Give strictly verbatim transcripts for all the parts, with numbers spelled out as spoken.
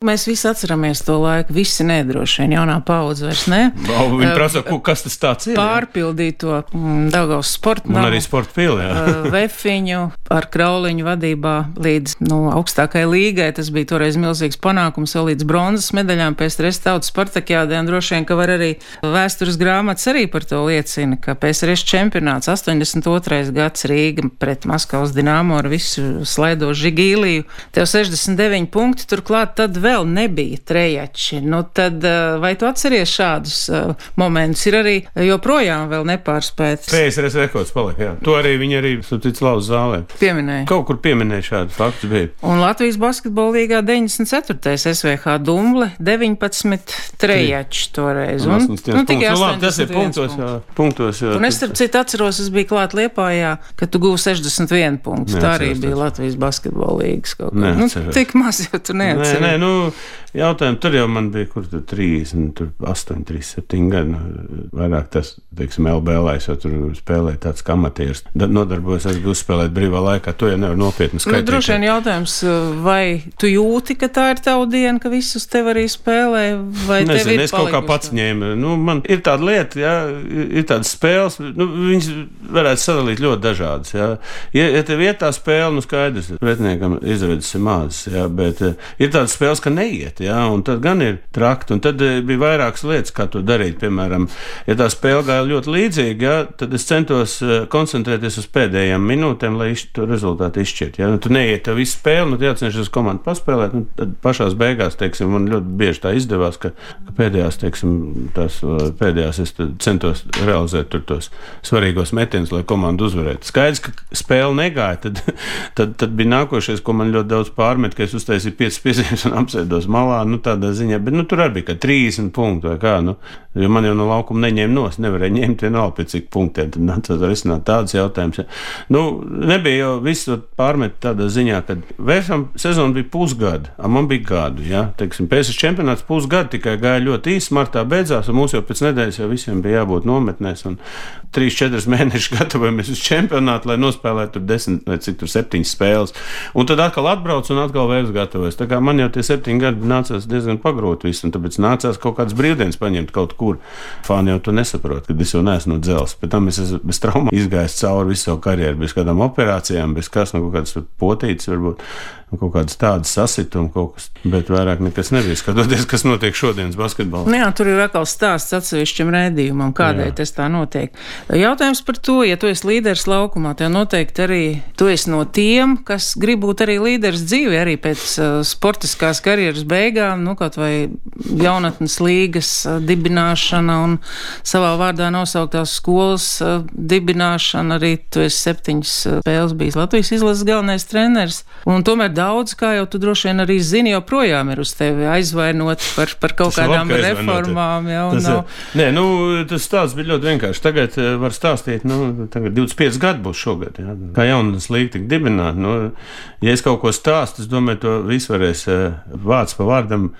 Mēs visi atceramies to laiku, visi nedroši vien, jaunā paudze vairs ne. Viņi prasa, kas tas tāds ir? Pārpildīto Daugavas sporta namu. Un arī sporta pili, jā. Vefiņu ar Krauliņu vadībā līdz nu, augstākai līgai. Tas bija toreiz milzīgs panākums, vēl līdz bronzas medaļām pēc P S R tautas Spartakiādē. Un droši vien, ka var arī vēstures grāmatas arī par to liecina, ka P S R čempionāts astoņdesmit otrais gads Rīga pret Maskavas Dinamo ar visu slaido Žigīliju. Tev sešdesmit deviņi punkti, turklāt tad vēl vēl nebija trejači. Nu tad, vai tu atceries šādus uh, momentus? Ir arī joprojām vēl nepārspētas. P S R rekords palika, jā. To arī viņi arī subtits lauza zālē. Pieminēja. Kaut kur pieminēja šādu faktu bija. Un Latvijas basketbola līgā deviņdesmit ceturtais S V H Dumble deviņpadsmit trejači toreiz. Un, un, nu, tikai nu, labi, tas ir punktos, jā. Punktos, jā. Un es starp citu atceros, es biju klāt Liepājā, ka tu guvi sešdesmit vienu punktu. Tā arī bija Latvijas basketbola līgas kaut kā. Nu, tik maz jau tu neatceries. Nē, nē, nu, jautājumu, tur jau man bija, kur tur trīsdesmit, tur astoņi, trīsdesmit septiņi gadi, nu, vairāk tas, teiksim, L B L, es jau tur spēlēju tāds kā amatieris, nodarbojos, es biju uzspēlēt brīvā laikā, to jau nevar nopietni skaitīt. Nu, droši vien jautājums, vai tu jūti, ka tā ir tava diena, ka visus tev arī spēlē, vai Nezinu, tev ir es kaut kā pats ņēmu, nu, man ir tāda lieta, jā, ir tādas spēles, nu, viņas varētu sadalīt ļoti dažādas, jā. Ja, ja tev iet tā spēle, nu, skaidrs, pretiniekam izredzes ir mazas, jā, bet ir tādas spēles, ka neiet, jā, un tad gan ir trakti, un tad bija vairākas lietas, kā to darīt, piemēram, ja tā spēle gāja ļoti līdzīgi, jā, tad es centos koncentrēties uz pēdējām minūtēm, lai to rezultātu izšķirt, jā, nu, tu neiet tev visu spēli, nu, tu jācenšas komandu paspēlēt, nu, tad pašās beigās, teiksim, man ļoti bieži tā izdevās, ka, ka pēdējās, teiksim, tās pēdējās es centos realizēt tur tos svarīgos metienus, lai komandu uzvarētu. Skaidrs, ka spēle negāja, tad, tad, tad bija nākošais, ko man ļoti daudz pārmet, ka es uztaisīju piecas piezīmes un apsēdos malā, nu tādā ziņā, bet nu tur arī bija kā trīsdesmit punktu vai kā, nu, jo man jau no laukuma neņēma nos, nevarēja ņemt vienalga pēc cik punktiem, tad nācās risināt tādas jautājumus. Ja. Nu, nebija jau visu pārmet tādā ziņā, kad vērsam sezona bija pusgada, a man bija gadu, ja, teiksim, P S R čempionāts pusgadu tikai gāja ļoti īsi, martā beidzās, un mums jau pēc nedēļas jau visiem bija jābūt nometnēs, un trīs četras mēnešus gatavojamies uz čempionātu, lai nospēlētu tur desmit vai cik tur septiņas spēles, un tad atkal atbrauc un atkal vairs gatavojas. Tā kā man jau tie septiņi gadi nācās diezgan pagrot visu, un tāpēc nācās kaut kādas brīvdienas paņemt kaut kur. Fāni jau to nesaprot, kad es jau neesmu no dzelzs. Pēc tam es esmu bez traumām izgājis cauri visu savu karjeru, bez kādām operācijām, bez kas, no kaut kādas potītes varbūt, kaut kādas tādas sasituma kaut kas, bet vairāk nekas nebija. Skatoties, kas notiek šodienas basketbolā. Nu jā, tur ir atkal stāsts atsevišķam rēdījumam, kādēļ tas tā notiek. Jautājums par to, ja tu esi līderis laukumā, tev noteikti arī tu esi no tiem, kas grib būt arī līderis dzīvē, arī pēc uh, sportiskās karjeras beigām, nu kaut vai jaunatnes līgas uh, dibināšana un savā vārdā nosauktās skolas uh, dibināšana, arī tu esi septiņas uh, spēles bijis Latvijas izlases galvenais treneris, un tomēr daudz, kā jau tu droši vien arī zini, joprojām ir uz tevi aizvainot par, par kaut tas kādām reformām. Jau, tas, nav... Nē, nu, tas stāsts bija ļoti vienkārši. Tagad uh, var stāstīt, nu, tagad divdesmit pieci gadi būs šogad, jā. Kā jaunas līga tik dibināt. Nu, ja es kaut ko stāstu, es domāju, to visu varēs uh, vārds pa vārdam.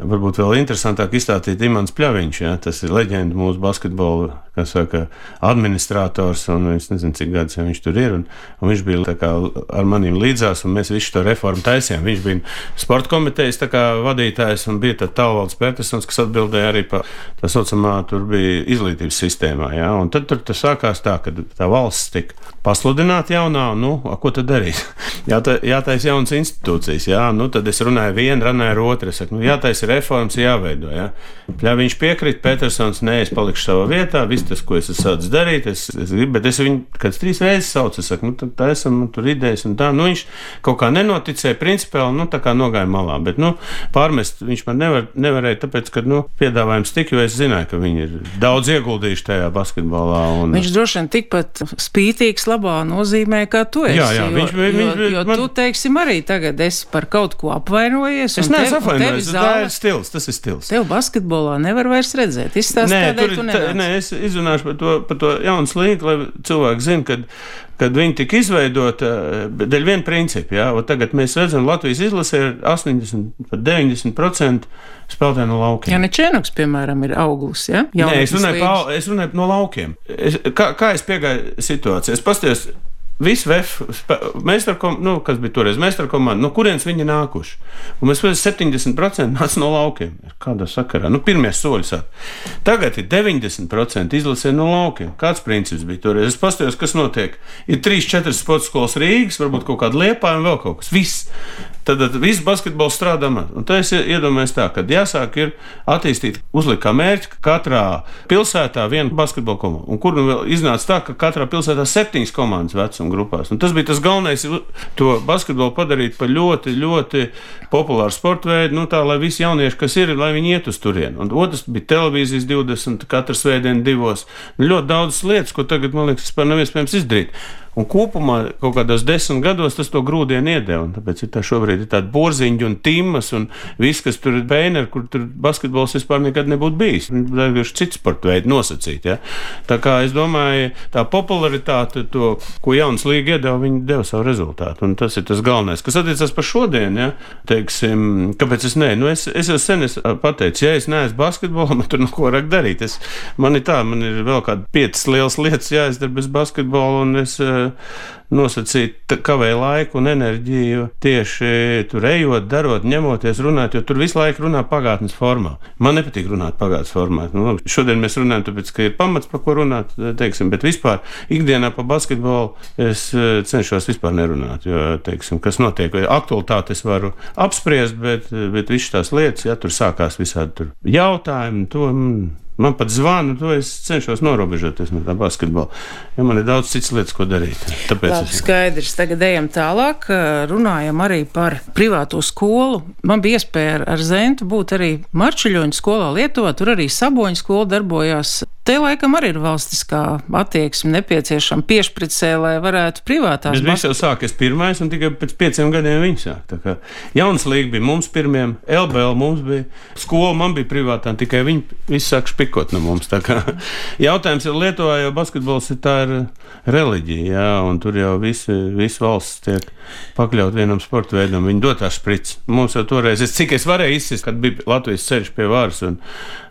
Varbūt vēl interesantāk izstāstīt Imants Pļaviņš, ja? Tas ir leģenda mūsu basketbola, kā saka, administrators, un es nezinu, cik gadus ja viņš tur ir, un, un viņš bija tā kā ar maniem līdzās, un mēs visu to reformu taisījām. Viņš bija sporta komitejas tā kā vadītājs, un bija tad Talvalds Petersons, kas atbildēja arī par tā saucamā, tur bija izglītības sistēmā, ja? Un tad tur tas sākās tā, ka tā valsts tika pasludināta jaunā, nu, a, ko tad darīt? Jāta, jātais jaunas institūcijas, jā, nu, tad es runāju vienu, runāju otru, es saku, nu, jātais reformas jāveido, jā. Pļaviņš piekrīt, Petersons, nē, es palikšu savā vietā, viss tas, ko es esmu sācis darīt, es, es gribu, bet es viņu kāds trīs reizes saucu, es saku, nu, tad tā esam, tur idejas un tā, nu, viņš kaut kā nenoticēja principiāli, nu, tā kā nogāja malā, bet, nu, pārmest viņš man nevar, nevarēja, tāpēc, ka, nu, piedāvājums tik, jo es zināju, ka viņi ir daudz ieguldījuši tajā basketbolā. Un... Viņš droši vien tikpat spītīgs labā nozīmē, kā tu esi, jā, jā, jo, viņš, viņš, jo, viņš, jo man... tu, teiksim, arī tagad esi par kaut ko apvainojies. Es neesmu apvainojies, tā ir stils, tas ir stils. Tev basketbolā nevar vairs redzēt. Izstāst, nē, kādēļ tur, tu nevar. Tā, nē, es izrunāšu par to, par to jaunas līgu, lai cilvēki zina, kad, kad viņi tika izveidota dēļ viena principa. Jā, un tagad mēs redzam, Latvijas izlasē ir astoņdesmit, pat deviņdesmit procenti spēlētāji no laukiem. Jā, Nečēnoks, piemēram, ir auglis, ja? Nē, es runāju, pa, es runāju no laukiem. Es, kā, kā es piegāju situāciju? Es pastījos Visi V F, meistarkom, nu, kas bija toreiz meistarkomanda, no kurienes viņi nākuši. Un mēs redzam, septiņdesmit procenti nāc no laukiem. Kādā sakarā? Nu, pirmie soļi sāk. Tagad ir deviņdesmit procenti izlasē no laukiem. Kāds princips bija toreiz? Es paskatījos, kas notiek. Ir trīs, četras sporta skolas Rīgas, varbūt kaut kāda Liepāja un vēl kaut kas. Viss. Tad, tad viss basketbols strādā man. Un tā es iedomājos tā, ka jāsāk ir attīstīt, uzlikt kā mērķi, ka katrā pilsētā viena basketbola komanda. Un kur nu vēl iznāca tā, ka katrā pilsētā septiņas komandas vecuma grupās. Un tas bija tas galvenais, to basketbolu padarīt par ļoti, ļoti populāru sporta veidu, nu tā, lai visi jaunieši, kas ir, lai viņi iet uz turieni. Un otrs bija televīzijas divdesmit, katru svētdienu divos. Ļoti daudzas lietas, ko tagad, man liekas, vispār nav iespējams izdarīt. Un kopumā kaut kādos desmit gados tas to grūdienu iedeva. Tāpēc ir tā šobrīd ir tāda Borziņģa un Timas un viss, kas tur ir Bēneri, kur tur basketbols vispār nekad nebūtu bijis. Tā ir cits sporta veidi nosacīt. Ja? Tā kā es domāju, tā popularitāte, to, ko jaunas līga iedeva, viņi deva savu rezultātu. Un tas ir tas galvenais. Kas attiecas par šodien, ja? Teiksim, kāpēc es ne? Nu, es, es jau sen es pateicu, ja es neesmu basketbolā, man tur neko vairāk darīt. Es, man ir tā, man ir vēl kādi piecas lielas lietas jāizdara bez basketbola, un es nosacīt kavēju laiku un enerģiju tieši tur ejot, darot, ņemoties, runāt, jo tur visu laiku runā pagātnes formā. Man nepatīk runāt pagātnes formā. Nu, šodien mēs runājam, tāpēc, ka ir pamats, par ko runāt, teiksim, bet vispār ikdienā pa basketbolu es cenšos vispār nerunāt, jo, teiksim, kas notiek, aktualitāti es varu apspriest, bet, bet visas tās lietas, ja tur sākās visādi tur jautājumi, to... Man pat zvanu, to es cenšos norobežoties no tā basketbola, jo man ir daudz citas lietas, ko darīt. Tāpēc Labi, es... skaidrs. Tagad ejam tālāk, runājam arī par privāto skolu. Man bija iespēja ar, ar Zentu būt arī Marčuļoņu skolā Lietuvā, tur arī Saboņu skola darbojās. Te laikam arī ir valstiskā attieksme nepieciešama piešpricē, lai varētu privātās. Bet viņš jau sākas pirmais un tikai pēc pieciem gadiem viņi sāk. Tā kā jaunas līga bija mums pirmiem, L B L mums bija, skola man bija privātā, tikai viņi visi sāk špikot no mums. Tā kā jautājums ir Lietuvā, jo basketbols ir tā ir reliģija, jā, un tur jau visi, visi valsts tiek pakļaut vienam sporta veidam, viņi dotā špric. Mums jau toreiz, es, cik es varēju izsist, kad bija Latvijas ceļš pie varas un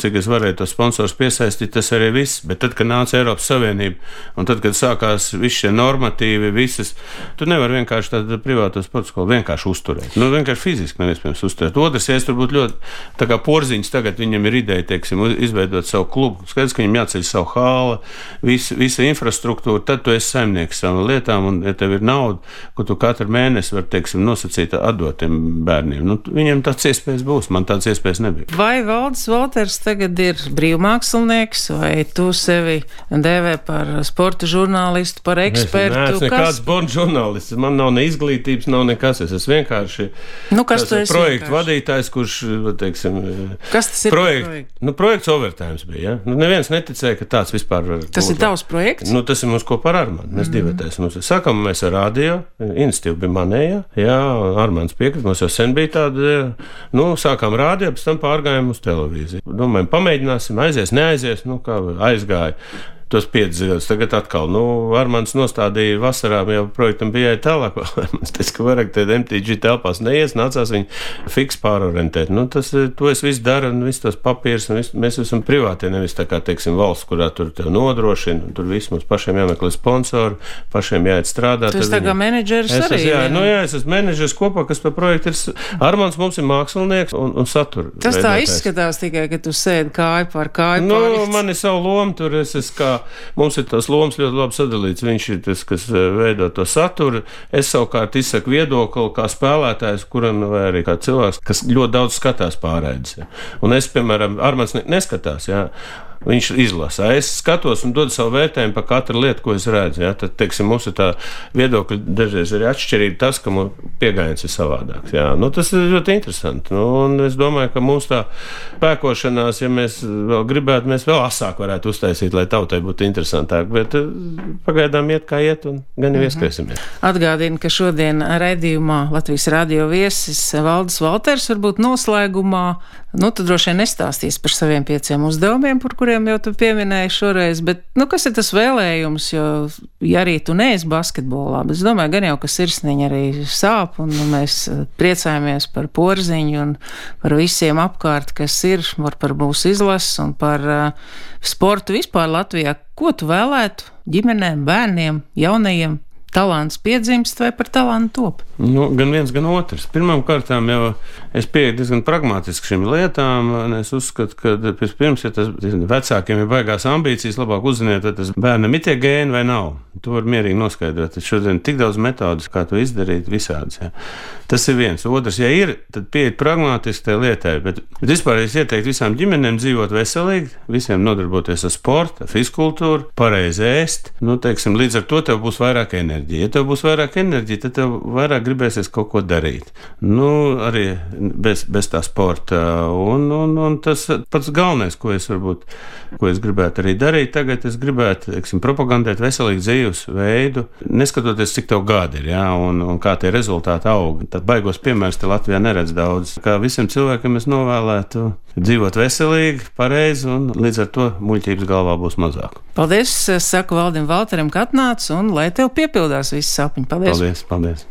cik es varēju tos sponsors piesaistīt, tas arī viss, bet tad, kad nāca Eiropas Savienība un tad, kad sākās visi šie normatīvi, visas, tu nevar vienkārši tādu privāto sporta skolu vienkārši uzturēt. Nu, vienkārši fiziski nav iespējams uzturēt. Otrs, ja es tur būtu ļoti, tā kā Porziņš tagad viņam ir ideja, teiksim, izveidot savu klubu, skaidrs, ka viņam jāceļ savu hāla, visa, visa infrastruktūra, tad tu esi saimnieks savam lietām, un ja tev ir nauda, ko tu katru mēnesi var, teiksim, nosacīt atdot tiem bērniem. Nu, viņiem tāds iespējas būs, man tāds iespējas nebija. Vai Valdis Valters tagad ir brīvmākslinieks, vai tu sevi dēvē par sporta žurnālistu, par ekspertu? Es neesmu nekāds sporta žurnālists, man nav ne izglītības, nav nekas, es esmu vienkārši nu, kas tas projektu vadītājs, kurš, teiksim, kas tas ir projekt, projekt? Nu, projekts Overtimes bija, ja? Nu, neviens neticēja, ka tāds vispār var būt. Tas ir tavs projekts? Nu, tas ir mums kopā ar Armānu, mēs mm. divatēs. Mums sakam, mēs ar radio, iniciatīva bija manējā, jā, Armāns piekrit, mums jau sen bija tāda, nu, sākām radio, pēc tam pārgājām uz televīziju. Domājam, pamēģināsim, aizies, neaizies, nu, kā aizgāja. Tos piecus gadus. Tagad atkal, nu, Armāns nostādīja vasarā, jau projektam bija jāiet tālāk. Es teicu, ka vairāk te M T G telpās neies, nācās viņu fiks pārorientēt. Nu, tas, to es visu daru, un visu tos papīrus, un visu, mēs esam privāti, nevis tā kā, teiksim, valsts, kurā tur tev nodrošina, un tur viss mums pašiem jāmeklē sponsori, pašiem jāiet strādāt. Tu esi tā kā menedžeris es arī? Es, jā, nu, jā, es esmu menedžeris kopā, kas par projektu ir. Armāns mums ir mākslinieks un, un satura. Tas tā izskatās tikai, ka tu sēdi kāju pār kāju nu, pār. Man ir savu lomu, tur es esmu kā mums ir tās lomas ļoti labi sadalīts. Viņš ir tas, kas veido to saturu. Es savukārt izsaku viedokli kā spēlētājs, kuram vai arī kā cilvēks, kas ļoti daudz skatās pārēdes. Ja. Un es, piemēram, Armāns neskatās, jā. Viņš izlasa. Es skatos un dodu savu vērtējumu par katru lietu, ko es redzu. Ja? Tad, teiksim, mums ir tā viedokļa dažreiz arī atšķirība tas, ka mums pieejams ir savādāks. Ja? Nu, tas ir ļoti interesanti. Nu, un es domāju, ka mums tā pēkošanās, ja mēs vēl gribētu, mēs vēl asāk varētu uztaisīt, lai tautai būtu interesantāk. Bet pagaidām iet kā iet un gan jau ieskrēsimies. Atgādinu, ka šodien raidījumā Latvijas radio viesis Valdis Valters varbūt noslēgumā, nu, tu droši vien nestāstīs par saviem pieciem uzdevumiem, par kuriem jau tu pieminēji šoreiz, bet, nu, kas ir tas vēlējums, jo, ja arī tu neesi basketbolā, bet es domāju, gan jau, ka sirsniņa arī sāp, un nu, mēs priecājamies par Porziņu un par visiem apkārt, kas ir, var par mūsu izlases un par uh, sportu vispār Latvijā. Ko tu vēlētu ģimenēm, bērniem, jaunajiem talants piedzimst vai par talantu top? Nu, gan viens, gan otrs. Pirmām kārtām jau es pieeju diezgan pragmatiski šīm lietām, un es uzskatu, ka pirms, ja tas vecākiem ir baigās ambīcijas, labāk uzziniet, vai tas bērnam ir tie gēni vai nav. To var mierīgi noskaidrot. Tad šodien tik daudz metodus, kā to izdarīt, visādas. Jā. Tas ir viens. Otrs, ja ir, tad pieiet pragmatiski tai lietai, bet, bet vispār es ieteiktu visām ģimenēm dzīvot veselīgi, visiem nodarboties ar sportu, fiskultūru, pareizi ēst. Nu, teiksim, līdz ar to tev būs vairāk enerģija. Ja tev būs vairāk enerģija, tad tev vairāk gribēsies kaut ko darīt. Nu, arī bez, bez tā sporta. Un, un, un tas pats galvenais, ko es varbūt, ko es gribētu arī darīt, tagad es gribētu, teiksim, propagandēt veselīgu dzīves veidu, neskatoties, cik tev gadi ir, jā, un, un kā tie rezultāti aug. Tad baigos piemērs te Latvijā neredz daudz. Kā visiem cilvēkiem es novēlētu dzīvot veselīgi, pareizi, un līdz ar to muļķības galvā būs mazāk. Paldies, saku Valdim Valteram, ka atnāc, un lai tev piepildās visi sapņi. Paldies! Paldies, paldies!